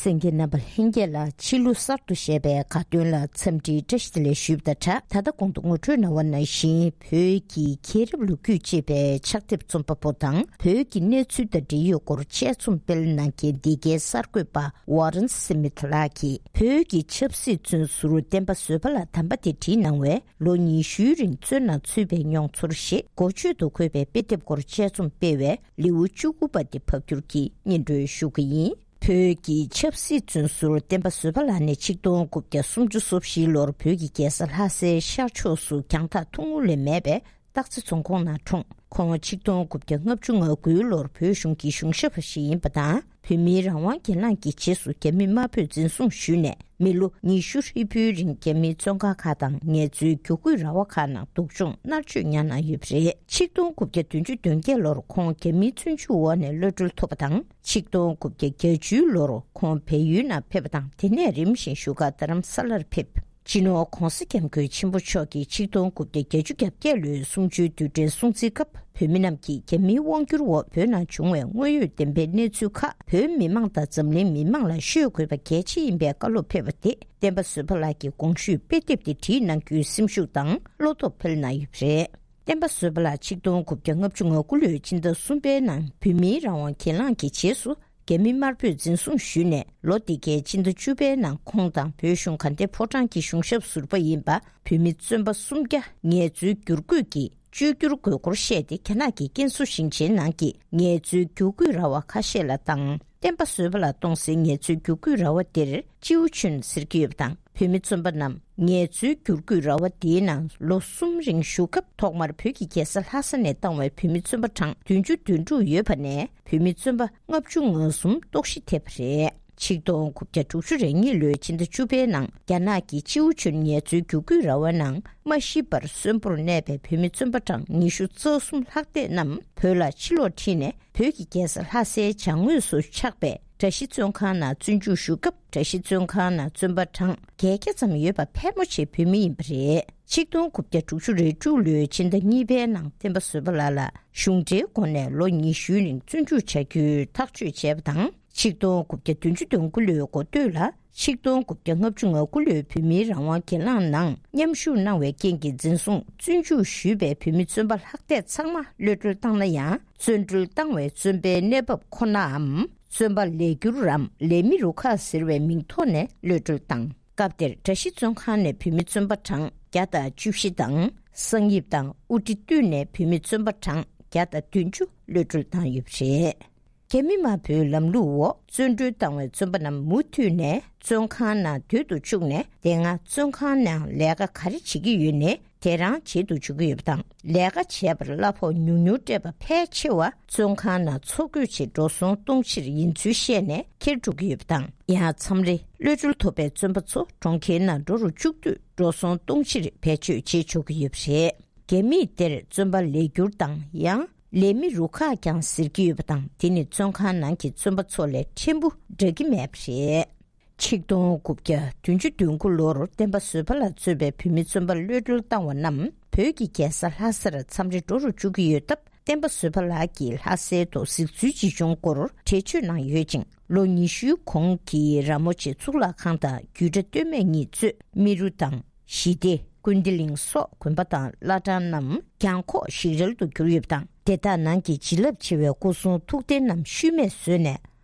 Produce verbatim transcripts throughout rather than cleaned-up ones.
གསན་མཁན་རྣམ་པ་ལྷན་རྒྱས་ལ་ཕྱི་ལོ་གསར་དུ་བཞད་པའི་དགའ་སྟོན་ལ་འཚམས་འདྲིའི་བཀྲ་ཤིས་བདེ་ལེགས་ཞུས་པ་དང་སྦྲགས། ད་ལྟ་གོང་དུ་ངོ་སྤྲོད་གནང་བ་ནང་བཞིན། བོད་ཀྱི་མཁྱེན་རབ་ལོ་རྒྱུས་ཅེས་པའི་ཕྱག་དེབ་རྩོམ་པ་པོ་དང་བོད་ཀྱི་གནས་ཚུལ་དང་འབྲེལ་ཡོད་སྐོར་དཔྱད་རྩོམ་སྤེལ་གནང་མཁན་འདི་གའི་གསར་འགོད་པ་ཝ་རན་སི་མི་ཐ་ལགས་ཀྱིས་བོད་ཀྱི་ཆབ་སྲིད་བཙོན་ཟུར་བསྟན་པ་བཟོད་པ་ལགས་དམ་པ་དེ་བྲིས་གནང་བའི་ལོ་ཉི་ཤུའི་རིང་བཙོན་ནང་ཚུད་པའི་མྱོང་ཚོར་ཞེས་འགོ་བརྗོད་དུ་འཁོད་པའི་དཔེ་དེབ་སྐོར་དཔྱད་རྩོམ་སྤེལ་བའི་ལེའུ་བཅུ་དགུ་པ་དེ་ཕབ་བསྒྱུར་གྱིས་སྙན་སྒྲོན་ཞུ་གི་ཡིན། བོད་ཀྱི་ཆབ་སྲིད་བཙོན་ཟུར་བསྟན་པ་བཟོད་པ་ལགས་ནི་ཆིག་སྟོང་དགུ་བརྒྱ་སུམ་ཅུ་སོ་བཞིའི་ལོར་བོད་ཀྱི་རྒྱལ་ས་ལྷ་སའི་ཤར་ཕྱོགས་སུ་རྒྱང་ཐག་ཐུང་ངུ་ལས་མེད་པའི་སྟག་རྩེ་རྫོང་ཁོངས་ནང་འཁྲུངས། ཁོང་ཆིག་སྟོང་དགུ་བརྒྱ་ལྔ་བཅུ་ང་དགུའི་ལོར་བོད་གཞུང་གི་གཞུང་ཞབས་པ་ཞིག་ཡིན་པ་དང་། བོད་མིའི་རང་དབང་སྒེར་ལངས་ཀྱི་རྗེས་སུ་རྒྱ་མི་དམར་པོས་འཛིན་བཟུང་ཞུས་ནས། མི་ལོ་ཉི་ཤུ་ཧྲིལ་པོའི་རིང་རྒྱ་མིའི་བཙོན་ཁང་ཁག་དང་ངལ་རྩོལ་བསྒྱུར་བཀོད་ར་བ་ཁག་ནང་སྡུག་སྦྱོང་མནར་གཅོད་མྱངས་གནང་ཡོད་པ་རེད། ཆིག་སྟོང་དགུ་བརྒྱ་བདུན་ཅུ་དོན་བརྒྱད་ལོར་ཁོང་རྒྱ་མིའི་བཙོན་འཇུག་འོག་ནས་གློད་གྲོལ་ཐོབ་པ་དང་། ཆིག་སྟོང་དགུ་བརྒྱ་བརྒྱད་ཅུའི་ལོར་ཁོང་བལ་ཡུལ་ནང་ཕེབས་པ་དང་། དེ་ནས་རིམ་བཞིན་བཞུགས་སྒར་རྡ་རམ་ས་ལར་ཕེབས། སྤྱི་ནོར་༧གོང་ས་༧སྐྱབས་མགོན་ཆེན་པོ་མཆོག་གིས་ཆིག་སྟོང་དགུ་བརྒྱ་བརྒྱད་ཅུ་གྱ་བརྒྱད་ལོའི་གསུམ་བཅུའི་རྡུལ་ཕྲན་སྲུང་བརྩིའི་སྐབས། བོད་མི་རྣམས་ཀྱིས་རྒྱ་མིའི་དབང་བསྒྱུར་འོག་བོད་ནང་བྱུང་བའི་དངོས་ཡོད་བདེན་པའི་གནས་ཚུལ་ཁག་བོད་མི་མང་དང་འཛམ་གླིང་མི་མང་ལ་ཤོད་དགོས་པ་གལ་ཆེ་ཡིན་པའི་བཀའ་སློབ་ཕེབས་པ་དེ། བསྟན་པ་བཟོད་པ་ལགས་ཀྱི་དགོངས་ཞུས་དཔེ་དེབ་དེ་བྲིས་གནང་རྒྱུའི་སེམས་ཤུགས་དང་བློ་སྟོབས་འཕེལ་གནང་ཡོད་པ་རེད། བསྟན་པ་བཟོད་པ་ལགས་ཆིག་སྟོང་དགུ་བརྒྱ་ལྔ་བཅུ་ང་དགུ་ལོའི་ཕྱི་ཟླ་གསུམ་པའི་ནང་བོད་མིའི་རང་དབང་སྒེར་ལངས་ཀྱི་རྗེས་སུ། རྒྱ་མི་དམར་པོས་འཛིན་བཟུང་ཞུས་ནས། ལོ་འདི་གའི་སྤྱི་ཟླ་བཅུ་པའི་ནང་ཁོང་དང་བོད་གཞུང་དགའ་ལྡན་ཕོ་བྲང་གི་གཞུང་ཞབས་ཟུར་པ་ཡིན་པ། བོད་མི་བཙོན་པ་སུམ་བརྒྱ་ངལ་རྩོལ་བསྒྱུར་བཀོད་ཀྱིས་བཅོས་བསྒྱུར་དགོས་སྐོར་བཤད་དེ། རྒྱ་ནག་གི་ཀན་སུའུ་ཞིང་ཆེན་ནང་གི་ངལ་རྩོལ་བསྒྱུར་བཀོད་ར་བ་ཁ་ཤས་ལ་བཏང་། བསྟན་པ་བཟོད་པ་ལགས་གཏོང་སའི་ངལ་རྩོལ་བསྒྱུར་བཀོད་ར་བ་དེར་ཅིའུ་ཆུན་ཟེར་གྱི་ཡོད་པ་དང་། བོད་མི་བཙོན་པ་རྣམས་ངལ་རྩོལ་བསྒྱུར་བཀོད་ར་བ་དེའི་ནང་ལོ་གསུམ་རིང་བཞུགས་སྐབས། ཐོག་མར་བོད་ཀྱི་རྒྱལ་ས་ལྷ་ས་ནས་བཏང་བའི་བོད་མི་བཙོན་པ་གྲངས་བདུན་ཅུ་དོན་དྲུག་ཡོད་པ་ནས། བོད་མི་བཙོན་པ་ལྔ་བཅུ་ང་གསུམ་ལྟོགས་ཤི་ཐེབས་པ་རེད། ཆིག་སྟོང་དགུ་བརྒྱ་དྲུག་ཅུ་རེ་གཉིས་ལོའི་ཕྱི་ཟླ་བཅུ་པའི་ནང་རྒྱ་ནག་གི་ཅིའུ་ཆུན་ངལ་རྩོལ་བསྒྱུར་བཀོད་ར་བའི་ནང་མ་ཤི་བར་གསོན་པོར་གནས་པའི་བོད་མི་བཙོན་པ་གྲངས་ཉི་ཤུ་རྩ་གསུམ་ལྷག་བསྡད་རྣམས་བོད་ལ་ཕྱིར་ལོག་ཁྲིད་ནས། བོད་ཀྱི་རྒྱལ་ས་ལྷ་སའི་བྱང་ངོས་སུ་ཆགས་པའི་གྲྭ་བཞི་བཙོན་ཁང་ནང་བཙོན་འཇུག་ཞུ་སྐབས། གྲྭ་བཞི་བཙོན་ཁང་ནང་བཙོན་པ་གྲངས་བརྒྱད་བརྒྱ་ཙམ་ཡོད་པ་ཕལ་མོ་ཆེ་བོད་མི་ཡིན་པ་རེད། ཆིག་སྟོང་དགུ་བརྒྱ་དྲུག་ཅུ་རེ་དྲུག་ལོའི་ཕྱི་ཟླ་གཉིས་པའི་ནང་བསྟན་པ་བཟོད་པ་ལགས་ལ་གཞུང་འབྲེལ་སྒོ་ནས་ལོ་ཉི་ཤུའི་རིང་བཙོན་འཇུག་བྱ་རྒྱུའི་ཐག་གཅོད་བྱས་པ་དང་། ཆིག་སྟོང་དགུ་བརྒྱ་བདུན་ཅུ་དོན་དགུ་ལོའི་འགོ་སྟོད་ལ། ཆིག་སྟོང་དགུ་བརྒྱ་ལྔ་བཅུ་ང་དགུ་ལོའི་བོད་མིའི་རང་དབང་སྒེར་ལངས་ནང་མཉམ་ཞུགས་གནང་བའི་རྐྱེན་གྱིས། འཛིན་བཟུང་བཙོན་འཇུག་ཞུས་པའི་བོད་མི་བཙོན་པ་ལྷག་བསྡད་ཚང་མ་གློད་གྲོལ་བཏང་ན་ཡང་། བཙོན་གྲོལ་བཏང་བའི་བཙོན་པའི་གནས་བབ་ཁོ་ནའམ། བཙོན་པ་ལས་འཁྱུར་རམ་ལས་མི་རུ་ཁག་ཟེར་བའི་མིང་ཐོག་ནས་གློད་གྲོལ་བཏང་། སྐབས་དེར་གྲྭ་བཞི་བཙོན་ཁང་ནས་བོད་མི་བཙོན་པ་གྲངས་བརྒྱ་དང་བཅུ་བཞི་དང་། གསང་ཡིབ་དང་དབུ་ཁྲིད་བཏུས་ནས་བོད་མི་བཙོན་པ་གྲངས་བརྒྱ་དང་བདུན་ཅུ་གློད་གྲོལ་བཏང་ཡོད་པ་རེད། རྒྱ་མི་དམར་པོའི་ལམ་ལུགས་འོག་བཙོན་གྲོལ་བཏང་བའི་བཙོན་པ་རྣམས་མུ་མཐུད་ནས་བཙོན་ཁང་ནང་སྡོད་དུ་བཅུག་ནས། དེ་སྔ་བཙོན་ཁང་ནང་ལས་ཀ་ག་རེ་བྱེད་ཀྱི་ཡོད་ནའི་དེ་རང་བྱེད་དུ་འཇུག་གི་ཡོད་པ་དང་། ལས་ཀ་བྱས་པར་གླ་ཕོགས་ཉུང་ཉུང་སྤྲད་པ་ཕལ་ཆེ་བ་བཙོན་ཁང་ནང་འཚོ་གོས་ཆེད་འགྲོ་སོང་གཏོང་ཕྱིར་ཡིན་ཚུལ་བཤད་ནས་ཁྱེར་འགྲོ་གི་ཡོད་པ་དང་། ཡང་མཚམས་རེ་གློད་གྲོལ་ཐོབ་པའི་བཙོན་པ་ཚོ་གྲོང་ཁྱེར་ནང་འགྲོ་རུ་བཅུག་དུས་འགྲོ་སོང་གཏོང་ཕྱིར་བེད་སྤྱོད་བྱེད་ཆོག་གི་ཡོད་པ་རེད། རྒྱ་མིས་དེར་བཙོན་པ་ལས་འཁྱུར་དང་ཡང་ལས་མི་རུ་ཁག་ཀྱང་ཟེར་གྱི་ཡོད་པ་དང་། དེ་ནི་བཙོན་ཁང་ནང་གི་བཙོན་པ་ཚོ་ལས་ཕྲན་བུ་འདྲ་གི་མེད་པ་རེད། ཆིག་སྟོང་དགུ་བརྒྱ་བདུན་ཅུ་དོན་དགུ་ལོར་བསྟན་པ་བཟོད་པ་ལགས་གཙོས་པའི་བོད་མི་བཙོན་པ་གློད་གྲོལ་བཏང་བ་རྣམས་བོད་ཀྱི་རྒྱལ་ས་ལྷ་སར་མཚམས་རེ་འགྲོ་རུ་བཅུག་གི་ཡོད་སྟབས། བསྟན་པ་བཟོད་པ་ལགས་ཀྱི25། ལྷ་སའི་ཐོག་གཟིགས་ཚུལ་ཅིག་བྱུང་སྐོར་འགྲེལ་བརྗོད་གནང་ཡོད་ཅིང་། ལོ་ཉི་ཤུའི་གོང་གི་ར་མོ་ཆེ་གཙུག་ལག་ཁང་དང་རྒྱུད་གྲྭ་སྟོད་སྨད་གཉིས་གཙོས་རྨེ་རུ་དང་། ཞི་བདེ། ཀུན་བདེ་གླིང་སོགས་དགོན་པ་དང་བླ་བྲང་རྣམས་གྱང་ཁོག་ཞིག་རལ་དུ་གྱུར་ཡོད་པ་དང་། དེ་དག་ནང་གི་བྱིན་རླབས་ཆེ་བའི་སྐུ་གསུང་ཐུགས་རྟེན་རྣམས་ཤུལ་མེད་བཟོས་ནས།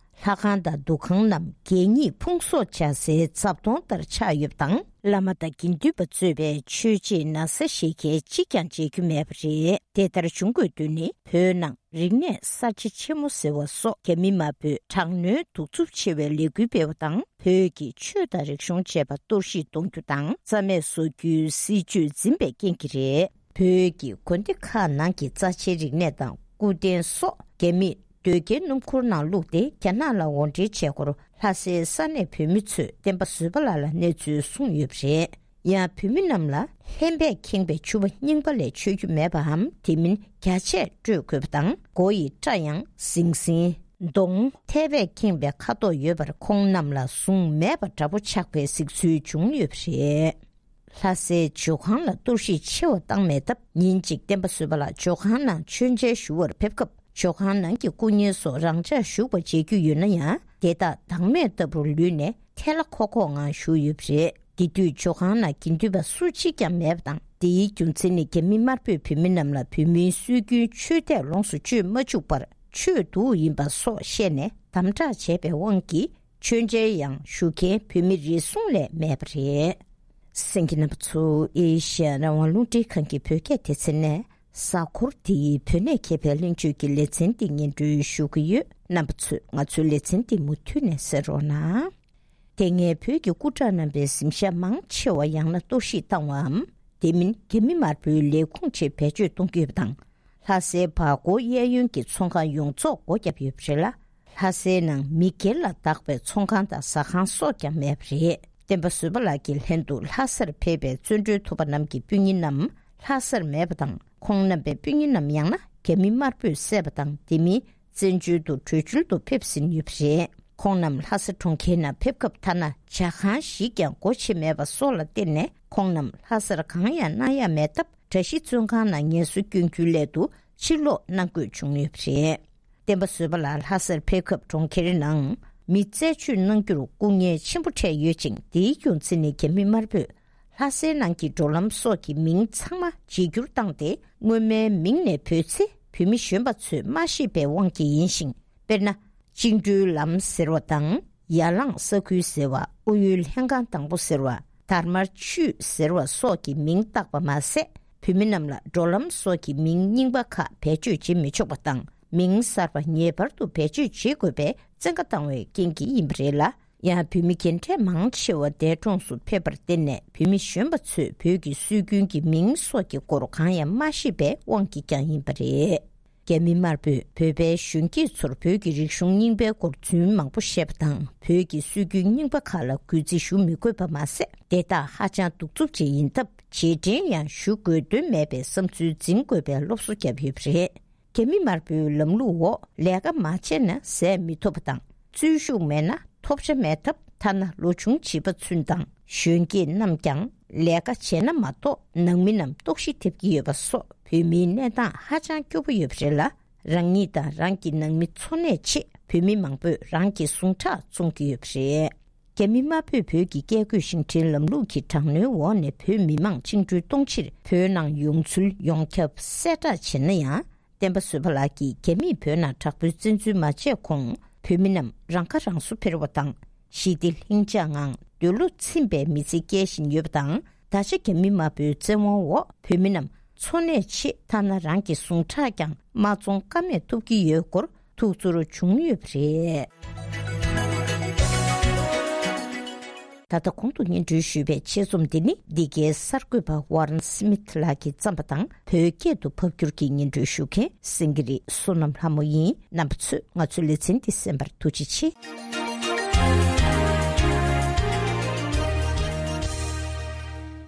ལྷ་ཁང་དང་འདུ་ཁང་རྣམས་གད་སྙིགས་ཕུང་གསོག་བྱ་སའི་རྫབ་དོང་ལྟར་ཆགས་ཡོད་པ་དང་། བླ་མ་དང་དགེ་འདུན་པ་གཙོས་པའི་ཆོས་བྱེད་ན་བཟའ་བཞེས་མཁན་གཅིག་ཀྱང་མཇལ་རྒྱུ་མེད་པ་རེད། དེ་ལྟར་བྱུང་དགོས་དོན་ནི། བོད་ནང་རིག་གནས་གསར་བརྗེ་ཆེན་མོ་ཟེར་བ་སོགས་རྒྱ་མི་དམར་པོས་དྲག་གནོན་གདུག་རྩུབ་ཆེ་བའི་ལས་འགུལ་སྤེལ་བ་དང་། བོད་ཀྱི་ཆོས་དང་རིག་གཞུང་བཅས་པ་གཏོར་བཤིག་གཏོང་རྒྱུ་དང་། རྩ་མེད་བཟོ་རྒྱུའི་སྲིད་བྱུས་འཛིན་པའི་རྐྱེན་གྱིས་རེད། བོད་ཀྱི་དགོན་སྡེ་ཁག་ནང་གི་རྩ་ཆེའི་རིག་གནས་དང་སྐུ་རྟེན་སོགས་རྒྱ་མིས་ཟློས་སྐྱེལ་སྣུམ་འཁོར་ནང་བླུགས་ཏེ། རྒྱ་ནག་ལ་འོར་འདྲེན་བྱས་སྐོར། ལྷ་སའི་ས་གནས་བོད་མི་ཚོས་བསྟན་པ་བཟོད་པ་ལགས་ལ་གནས་ཚུལ་གསུངས་ཡོད་པ་རེད། ཡང་བོད་མི་རྣམས་ལ་ལྷན་པས་ཁེངས་པའི་ཕྱུ་པ་རྙིང་པ་ལས་མཆོད་རྒྱུ་མེད་པའམ། དེ་མིན་རྒྱ་ཆས་སྤྲོད་དགོས་པ་དང་། མགོ་ཡི་སྐྲ་ཡང་ཟིང་ཟིང་། གདོང་ཐལ་བས་ཁེངས་པའི་ཁ་དོག་ཡོད་པར་ཁོང་རྣམས་ལ་ཟུངས་མེད་པ་འདྲ་པོ་ཆགས་པའི་གཟིགས་ཚུལ་བྱུང་ཡོད་པ་རེད། ལྷ་སའི་ཇོ་ཁང་ལ་གཏོར་བཤིག་ཆེ་བ་བཏང་མེད་སྟབས། ཉིན་གཅིག་བསྟན་པ་བཟོད་པ་ལགས་ཇོ་ཁང་ནང་མཆོད་མཇལ་ཞུ་བར་ཕེབས་སྐབས། ཇོ་ཁང་ནང་གི་སྐུ་བརྙན་སོགས་རང་འཇགས་བཞུགས་པ་མཇལ་རྒྱུ་ཡོད་ན་ཡང་། དེ་དག་བདག་མེད་ལྟ་བུར་ལུས་ནས་ཐལ་ལ་ཁོག་ཁོག་ངང་བཞུགས་ཡོད་པ་རེད། དེ་དུས་ཇོ་ཁང་ནང་དགེ་འདུན་པ་སུ་གཅིག་ཀྱང་མེད་པ་དང་། དེའི་རྒྱུ་མཚན་ནི་རྒྱ་མི་དམར་པོས་བོད་མི་རྣམས་ལ་བོད་མིའི་སྲོལ་རྒྱུན་ཆོས་དད་ལོངས་སུ་སྤྱོད་མ་བཅུག་པར་ཆོས་སྡུག་ཡིན་པ་སོགས་བཤད་ནས་དམ་དྲག་བྱས་པའི་དབང་གིས། མཆོད་མཇལ་ཡང་ཞུ་མཁན་བོད་མི་རེ་ཟུང་ལས་མེད་པ་རེད། གསན་མཁན་རྣམ་པ་ཚོ། ཨེ་ཤ་ཡ་རང་དབང་རླུང་འཕྲིན་ཁང་གི་བོད་སྐད་སྡེ་ཚན་ནས་གཟའ་འཁོར་འདིའི་བོད་གནས་མཁས་པའི་གླེང་བརྗོད་ཀྱི་ལེ་ཚན་འདི་སྙན་སྒྲོན་ཞུ་གི་ཡོད། རྣམ་པ་ཚོས་ང་ཚོའི་ལེ་ཚན་འདི་མུ་མཐུད་ནས་གསན་རོགས་གནང་། དེ་སྔའི་བོད་ཀྱི་སྐུ་དྲག་རྣམ་པའི་གཟིམ་ཤག་མང་ཆེ་བ་ཡང་ན་གཏོར་བཤིག་བཏང་བའམ། དེ་མིན་རྒྱ་མི་དམར་པོའི་ལས་ཁུངས་ཆེད་བེད་སྤྱོད་གཏོང་གི་ཡོད་པ་དང་། ལྷ་སའི་བར་སྐོར་གཡས་གཡོན་གྱི་ཚོང་ཁང་ཡོངས་རྫོགས་སྒོ་བརྒྱབ་ཡོད་པ་རེད་ལ། ལྷ་སའི་ནང་མི་སྒེར་ལ་བདག་པའི་ཚོང་ཁང་དང་ཟ་ཁང་སོགས་ཀྱང་མེད་པ་རེད། བསྟན་པ་བཟོད་པ་ལགས་ཀྱི་ལྷན་དུ་ལྷ་སར་ཕེབས་པའི་བཙོན་གྲོལ་ཐུབ་པ་རྣམས་ཀྱི་སྤུན་ཉེ་རྣམས་ལྷ་སར་མེད་པ་དང་། ཁོང་རྣམ་པའི་སྤུན་ཉེ་རྣམས་ཡང་ན་རྒྱ་མི་དམར་པོས་བསད་པ་དང་། དེ་མིན་བཙན་བྱོལ་དུ་བྲོས་བྱོལ་དུ་ཕེབས་ཟིན་ཡོད་པ་རེད། ཁོང་རྣམས་ལྷ་ས་གྲོང་ཁྱེར་ནང་ཕེབས་སྐབས་ཐ་ན་ཇ་ཁང་ཞིག་ཀྱང་སྒོ་ཕྱེ་མེད་པ་སོགས་ལ་བརྟེན་ནས། ཁོང་རྣམས་ལྷ་སར་གང་ཡང་གནང་ཡ་མེད་སྟབས། གྲྭ་བཞི་བཙོན་ཁང་ནང་ངལ་གསོ་སྐྱོན་རྒྱུའི་སླད་དུ་ཕྱིར་ལོག་གནང་དགོས་བྱུང་ཡོད་པ་རེད། བསྟན་པ་བཟོད་པ་ལགས་ལྷ་སར་ཕེབས་སྐབས་གྲོང་ཁྱེར་ནང་མི་རྩད་གཅོད་གནང་རྒྱུར་སྐུ་ངལ་ཆེན་པོ་འཕྲད་ཡོད་ཅིང་། དེའི་རྒྱུ་མཚན་ནི་རྒྱ་མི་དམར་པོས་ལྷ་སའི་ནང་གི་འགྲོ་ལམ་སོགས་ཀྱི་མིང་ཚང་མ་བརྗེ་བསྒྱུར་བཏང་སྟེ། སྔོན་མའི་མིང་ནས་བུད་ཚེ་བོད་མི་གཞོན་པ་ཚོས་མ་ཤེས་པའི་དབང་གིས་ཡིན་ཞིང་། དཔེར་ན། བཅིངས་འགྲོལ་ལམ་ཟེར་བ་དང་། ཡ་ལང་ས་ཁུལ་ཟེར་བ། ཨོ་ཡོལ་ལྷན་ཁང་དང་པོ་ཟེར་བ། དར་དམར་ཆུས་ཟེར་བ་སོགས་ཀྱི་མིང་བཏགས་པ་མ་ཟད། བོད་མི་རྣམས་ལ་འགྲོ་ལམ་སོགས་ཀྱི་མིང་རྙིང་པ་ཁག་བེད་སྤྱོད་བྱེད་མི་ཆོག་པ་དང་། མིང་གསར་པ་ངེས་པར་དུ་བེད་སྤྱོད་བྱེད་དགོས་པའི་བཙན་བཀའ་བཏང་བའི་རྐྱེན་གྱིས་ཡིན་པ་རེད་ལ། ཡང་བོད་མི་རྒན་གྲས་མང་ཆེ་བ་འདས་གྲོངས་སུ་ཕེབས་པར་བརྟེན་ནས། བོད་མི་གཞོན་པ་ཚོས་བོད་ཀྱི་སྲོལ་རྒྱུན་གྱི་མིང་སོགས་ཀྱི་སྐོར་གང་ཡང་མ་ཤེས་པའི་དབང་གིས་ཀྱང་ཡིན་པ་རེད། རྒྱ་མི་དམར་པོས་བོད་པའི་གཞོན་སྐྱེས་ཚོར་བོད་ཀྱི་རིག་གཞུང་རྙིང་པའི་སྐོར་རྫུན་མང་པོ་བཤད་པ་དང་། བོད་ཀྱི་སྲོལ་རྒྱུན་རྙིང་པ་ཁག་ལ་གུས་བརྩི་ཞུ་མི་དགོས་པ་མ་ཟད། དེ་དག་ཧ་ཅང་གདུག་རྩུབ་ཅིག་ཡིན་སྟབས། རྗེས་དྲན་ཡང་ཞུ་དགོས་དོན་མེད་པའི་བསམ་ཚུལ་འཛིན་དགོས་པའི་སློབ་གསོ་བརྒྱབ་ཡོད་པ་རེད། རྒྱ་མི་དམར་པོའི་ལམ་ལུགས་འོག་ལས་ཀ་མ་བྱས་ན་ཟས་མི་ཐོབ་པ་དང་། བརྩོན་ཤུགས་མེད་ན་ཐོབ་ཆ་མེད་སྟབས། ཐ་ན་ལོ་ཆུང་བྱིས་པ་ཚུན་དང་གཞོན་སྐྱེས་རྣམས་ཀྱང་ལས་ཀ་བྱས་ན་མ་གཏོགས་ནང་མི་རྣམས་ལྟོགས་ཤི་ཐེབས་ཀྱི་ཡོད་པ་སོགས་བོད་མིའི་གནས་སྟངས་ཧ་ཅང་སྐྱོ་པོ་ཡོད་པ་རེད་ལ། རང་ཉིད་དང་རང་གི་ནང་མི་འཚོ་གནས་ཆེད་བོད་མི་མང་པོས་རང་གི་ཟུངས་ཁྲག་བཙོང་གི་ཡོད་པ་རེད། རྒྱ་མི་དམར་པོས་བོད་ཀྱི་བཀས་བཀོད་ཤིང་འཕྲིན་ལམ་ལུགས་ཀྱི་དྲག་གནོན་འོག་ནས་བོད་མི་མང་བཅིངས་འགྲོལ་གཏོང་ཕྱིར་བོད་ནང་ཡོང་ཚུལ་ཡོངས་ཁྱབ་གསལ་བསྒྲགས་བྱས་ན་ཡང་། བསྟན་པ་བཟོད་པ་ལགས་ཀྱིས་རྒྱ་མིས་བོད་ནང་དྲག་པོའི་བཙན་འཛུལ་མ་བྱས་གོང་། བོད་མི་རྣམས་རང་ཁ་རང་གསོ་འཕེར་བ་དང་། ཞི་བདེ་ལྷིང་འཇགས་ངང་འདོད་བློ་ཚིམ་པའི་མི་ཚེ་སྐྱེལ་བཞིན་ཡོད་པ་དང་། ད་ཆ་རྒྱ་མི་དམར་པོའི་བཙན་དབང་འོག་བོད་མི་རྣམས་འཚོ་གནས་ཆེད་ཐ་ན་རང་གི་ཟུངས་ཁྲག་ཀྱང་མ་བཙོང་ཀ་མེད་ཐོབ་ཀྱི་ཡོད་སྐོར་ཐུགས་ཚོར་བྱུང་ཡོད་པ་རེད། ད་ལྟ་གོང་དུ་སྙན་སྒྲོན་ཞུས་པའི་ཆེད་རྩོམ་འདི་ནི་འདི་གའི་གསར་འགོད་པ་ཝཱ་རན་སི་མིཐ་ལགས་ཀྱིས་བརྩམས་པ་དང་། བོད་སྐད་དུ་ཕབ་བསྒྱུར་གྱིས་སྙན་སྒྲོན་ཞུ་མཁན་སེང་གེ་རི་བསོད་ནམས་ལྷ་མོ་ཡིན། རྣམ་པ་ཚོས་ང་ཚོའི་ལེ་ཚན་འདི་གསན་པར་ཐུགས་རྗེ་ཆེ།